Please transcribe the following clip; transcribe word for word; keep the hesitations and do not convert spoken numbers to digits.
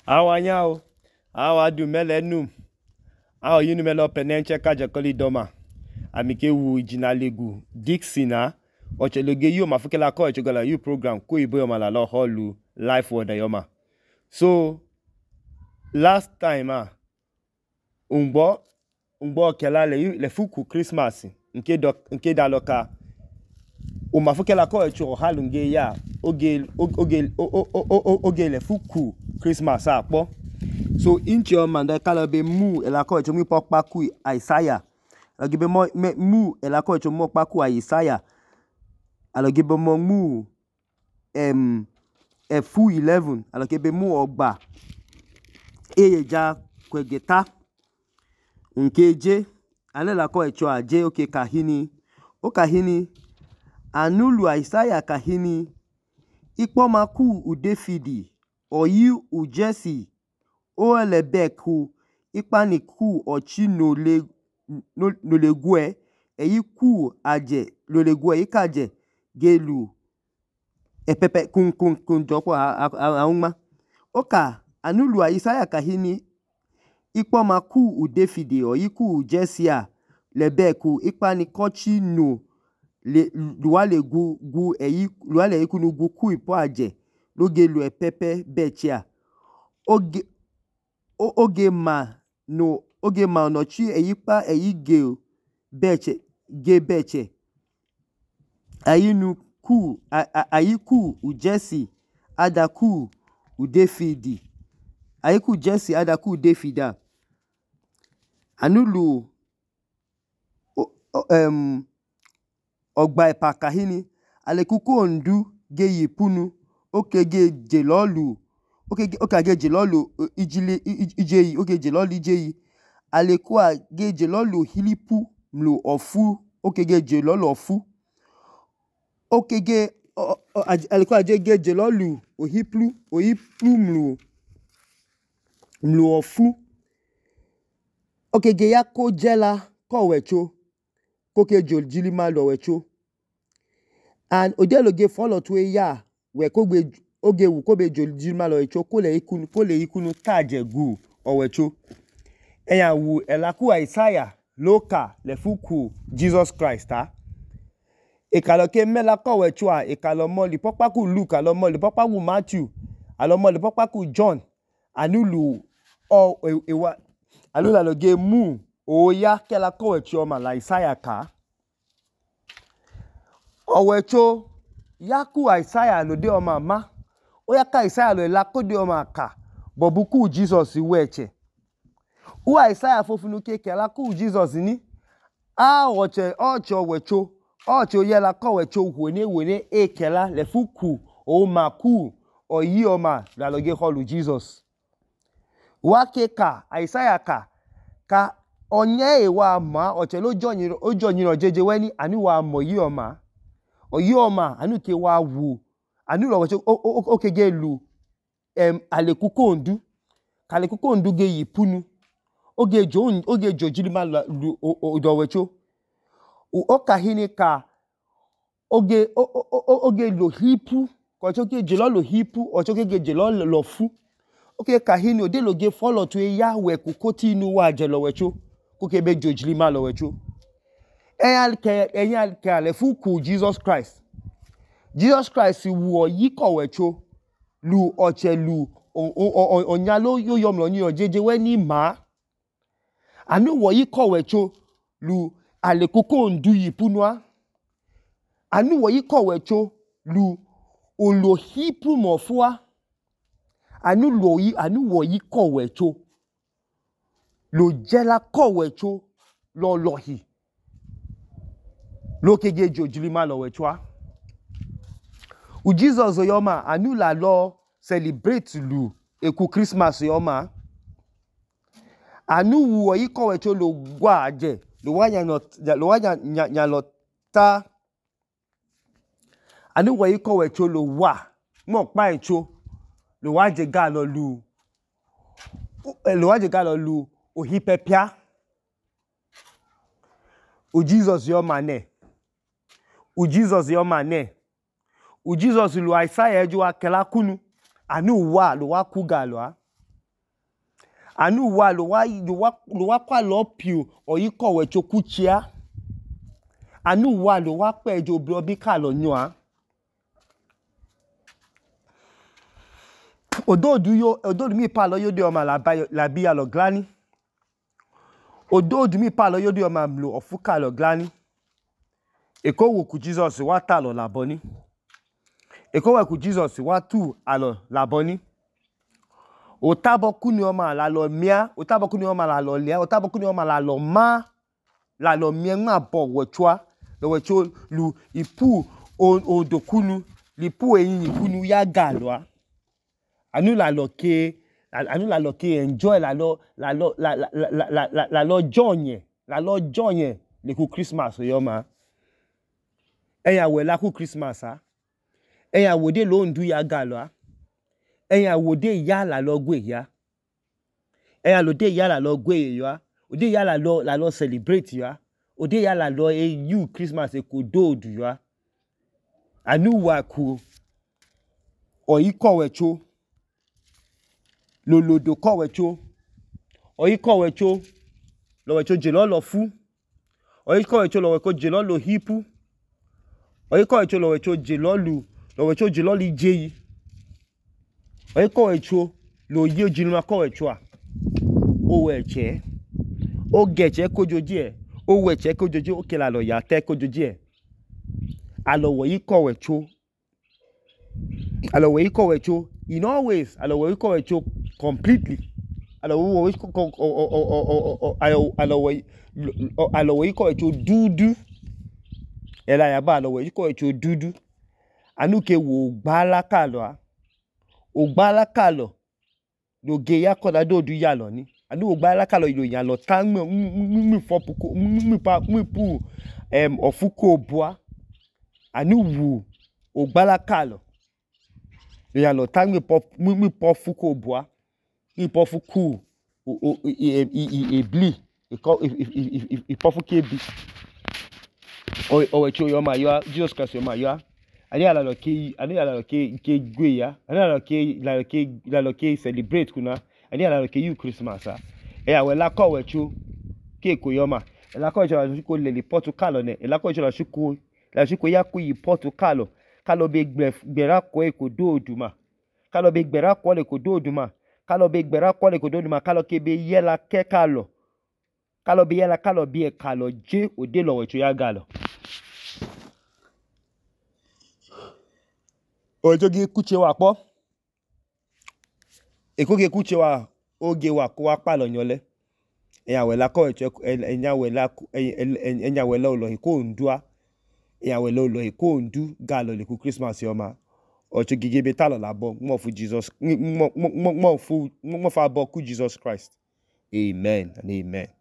Awanyao, awadu melenu, awo yinu melo penenche kajakoli doma. Amike wu ijinalegu Dixina, ocheloge yu ma fukela ko echogala yu program ko ibo yoma la lo holu life word yoma. So last time ah ungbo ungbo kela le le fuku Christmas nke do nke daloka o ma fukela ko echo halunge ya oge oge oge le fuku Christmas akpo. So inchi o manda kala be mu elako echo mi pokpa ku Isaiah. Agibe mo mu elako echo mo pa ku Isaiah. Alogibe mo mu em efu eleven alogibe mu ogba eyeja kwegeta nkeje alela ko echo aje oke kahini o kahini anulu Isaiah kahini ikpoma ku u Davidi oyi u Jesse o elebeku ikpani ku ochi no le no, no le gwe eyi ku aje lo le gwe ikaje gelu epepe kun kun kun jopo auma oka anulu Isaiah kahini ikpoma ku u Davidi oyi ku u Jesse a lebeku ikpani kochi no le luale gu gu eyi luale ikunu gu ku ipo aje lo gelu epepe bechia oge oge ma no oge ma no chi eyipa eyi ge beche ge beche ayinu ku ayiku u Jesse adaku u Davidi ayiku Jesse adaku u Davida anulu em ogba epa kahini alekuku ondu ge yipunu okege jelolu okege okage jelolu ijili ijeyi oge jelolu ijeyi alekua ge jelolu hilipu mlu ofu okege jelolu ofu okege alekua ge jelolu ohiplu ohiplu mlu mlu ofu okege yako jela ko wecho koke jol jilima lo wecho and odeloge follow to ya we kogbe oge wu kobe jol jilima lo wecho kole ikunu kole ikunu kaje gu owecho eya wu elaku Isaiah loka le fuku Jesus Christ ha ikalo ke mela ko wecho a ikalo mo li pokpa ku Luke alo mo li pokpa ku Matthew alo mo li pokpa ku John anulu o ewa alula loge mu oya kela ko wecho ma la Isaiah ka owecho yaku Isaiah lo de o mama o yaka Isaiah lo la ko de o ma ka bobuku Jesus weche u Isaiah fofunu ke kela ku Jesus ni a oche ocho wecho ocho yela ko wecho wone wone e kela le fuku o maku oyi o ma la loge holu Jesus wa ke ka Isaiah ka ka onye e wa ma oche lo jonyin o jonyin ojeje weni ani wa mo yi o ma oyi o ma anu ke wa wu anu lo wecho okege lu em alekuko ondu kalekuko ondu ge yipunu oge jo oge jo jilima lu odo wecho o kahini ka oge oge lo hipu ko choke jelo lo hipu o choke ge jelo lo fu oge kahini ode lo ge follow to ya we ku koti inu wa je lo wecho ko ke be jo jilima lo wecho eyan ke eyan ke ale fuku Jesus Christ Jesus Christ wu oyi ko wecho lu oche lu onya lo yo yom lo ni ojeje we ni ma anu wo yi ko wecho lu alekuko ondu yipunwa anu wo yi ko wecho lu olo hipu mofua anu lo yi anu wo yi ko wecho lo jela ko wecho lo lohi lo kege jojilima lo wecho u Jesus yoma anu la lo celebrate lu eku Christmas yoma anu wo yi ko wecho lo gwa aje lo wanya no lo wanya nya lo ta anu wo yi ko wecho lo wa mo pa echo lo waje ga lo lu lo waje ga lo lu ohipepia u Jesus yoma ne u Jesus yoma ne u Jesus lu Isaiah eju akela kunu anu wa lo wa ku ga lo a anu wa lo wa lo wa lo wa kwa lo pio oyi kowe chokuchia anu wa lo wa pejo bro bi ka lo nyoa ododu yo ododu mi pa lo yo de o ma la ba la bi ya lo glani ododu mi pa lo yo de o ma mlo ofuka lo glani eko wo ku Jesus wa ta lo laboni eko wo ku Jesus wa tu alo laboni otabo kuni o ma la lo mia otabo kuni o ma la lo lia otabo kuni o ma la lo ma la lo mia ma bo wochwa lo wecho lu ipu odokunu lipu eyin kunu ya galwa anu la lo ke anu la lo ke enjoy la lo la lo la la la la la la lo jonye la lo jonye le ku Christmas yo ma eya we la ku Christmas a eya wo de lo ndu ya galwa eya wo de ya la lo gwe ya eya lo de ya la lo gwe yo o de ya la lo la lo celebrate yo o de ya la lo e you Christmas e ko do du yo anu wa ku oyi kowe cho lo lodo kowe cho oyi kowe cho lo we cho jelo lo fu oyi kowe cho lo we ko jelo lo hipu oyi kowe cho lo we cho jelo lu lo we cho jelo li jeyi oyi kowe cho lo ye jinuma kowe cho a o we che o geche kojoji e o we che kojoji o ke la lo ya te kojoji e alo wo yi kowe cho alo wo yi kowe cho in always alo wo yi kowe cho completely alo wo yi ko alo wo alo wo yi kowe cho dudu ela ya ba alo wo yi kowe cho dudu anu ke wo gbala kalo a o gbala kalo lo ge ya ko da do du ya lo ni anu o gbala kalo lo ya lo ta mi mi fopuko mi pa mi pu em ofuko boa anu wu o gbala kalo lo ya lo ta mi pop mi pofuko boa mi pofuku o e e bli e ko e pofuke bi o o we cho yo ma yo Jesus Christ yo ma yo ani ala lo ke ani ala lo ke ke gwe ya ani ala lo ke la lo ke la lo ke celebrate kuna ani ala lo ke you Christmas a e ya we la ko we cho ke ko yo ma e la ko cho la ko le le Portugal ne e la ko cho la shuku la shuku ya ku yi Portugal kalo be gbera ko e ko do oduma kalo be gbera ko le ko do oduma kalo be gbera ko le ko do oduma kalo ke be yela ke kalo kalo be yela kalo be e kalo je ode lo we cho ya galo ojo ge kuche wa po eko ge kuche wa oge wa ko wa pa lo yole eya we la ko echo enya we la enya we la lo ko ndua eya we lo lo ko ndu galo le ku Christmas yo ma ojo gige be ta lo labo mo fu Jesus mo mo mo fu mo fa bo ku Jesus Christ amen and amen.